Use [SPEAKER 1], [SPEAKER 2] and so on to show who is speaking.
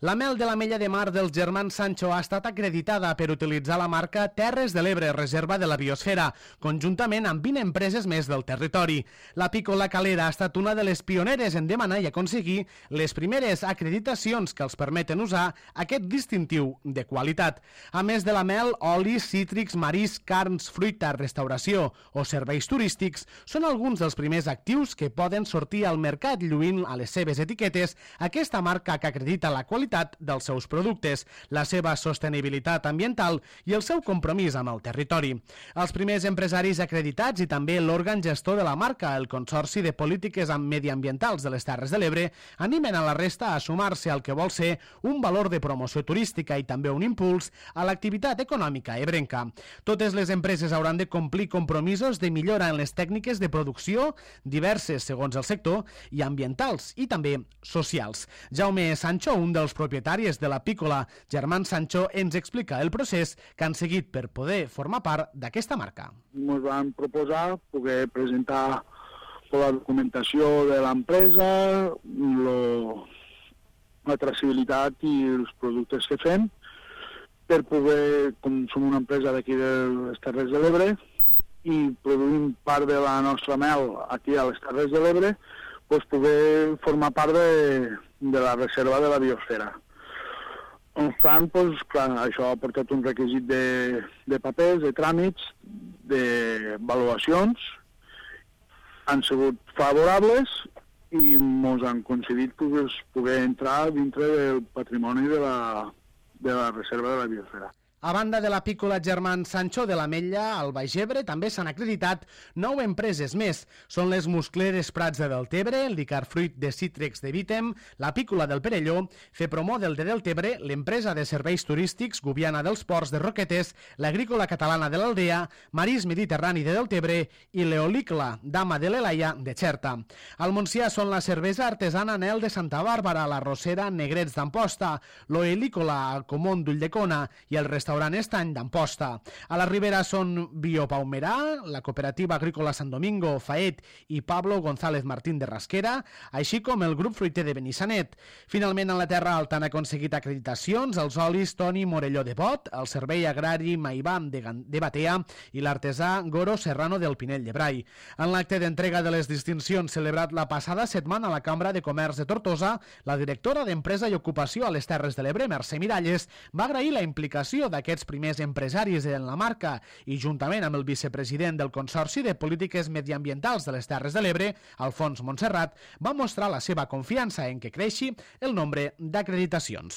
[SPEAKER 1] La mel de l'Ametlla de Mar dels germans Sancho ha estat acreditada per utilitzar la marca Terres de l'Ebre, reserva de la biosfera, conjuntament amb 20 empreses més del territori. L'Apícola Calera ha estat una de les pioneres en demanar i aconseguir les primeres acreditacions que els permeten usar aquest distintiu de qualitat. A més de la mel, olis, cítrics, marisc, carns, fruita, restauració o serveis turístics són alguns dels primers actius que poden sortir al mercat lluint a les seves etiquetes aquesta marca que acredita la qualitat dels seus productes, la seva sostenibilitat ambiental i el seu compromís amb el territori. Els primers empresaris acreditats i també l'òrgan gestor de la marca, el Consorci de Polítiques Mediambientals de les Terres de l'Ebre, animen a la resta a sumar-se al que vol ser un valor de promoció turística i també un impuls a l'activitat econòmica ebrenca. Totes les empreses hauran de complir compromisos de millora en les tècniques de producció, diverses segons el sector, i ambientals i també socials. Jaume Sancho, un dels propietaris de l'Apícola Germans Sancho, ens explica el procés que han seguit per poder formar part d'aquesta marca.
[SPEAKER 2] Ens van proposar poder presentar la documentació de l'empresa, la traçabilitat i els productes que fem, per poder, com som una empresa d'aquí de les Terres de l'Ebre i produïm part de la nostra mel aquí a les Terres de l'Ebre, doncs poder formar part de la reserva de la biosfera. No obstant, doncs, clar, això ha portat un requisit de papers, de tràmits, d'avaluacions, han sigut favorables i ens han concedit poder entrar dintre del patrimoni de la reserva de la biosfera.
[SPEAKER 1] A banda de l'Apícola Germans Sancho de l'Ametlla, al Baix Ebre també s'han acreditat 9 empreses més. Són les Muscleres Prats de Deltebre, el Dicarfruit de Cítrics de Vítem, l'Apícola del Perelló, Fepromó del de Deltebre, l'empresa de serveis turístics Gubiana dels Ports de Roquetes, l'Agrícola Catalana de l'Aldea, Marís Mediterrani de Deltebre i l'Eolícola Dama de l'Elaia de Xerta. Al Montsià són la cervesa artesana Nel de Santa Bàrbara, la Rosera Negrets d'Amposta, l'Oelícola Alcomón d'Ulldecona i el restaurant Estany d'Amposta. A la Ribera són Biopaumerà, la Cooperativa Agrícola Sant Domingo, Faet i Pablo González Martín de Rasquera, així com el grup fruiter de Benissanet. Finalment, a la Terra Alta han aconseguit acreditacions els olis Toni Morelló de Bot, el Servei Agrari Maibam de Batea i l'artesà Goro Serrano del Pinell de Brai. En l'acte d'entrega de les distincions celebrat la passada setmana a la Cambra de Comerç de Tortosa, la directora d'Empresa i Ocupació a les Terres de l'Ebre, Mercè Miralles, va agrair la implicació d'aquests primers empresaris en la marca i, juntament amb el vicepresident del Consorci de Polítiques Mediambientals de les Terres de l'Ebre, Alfons Montserrat, va mostrar la seva confiança en que creixi el nombre d'acreditacions.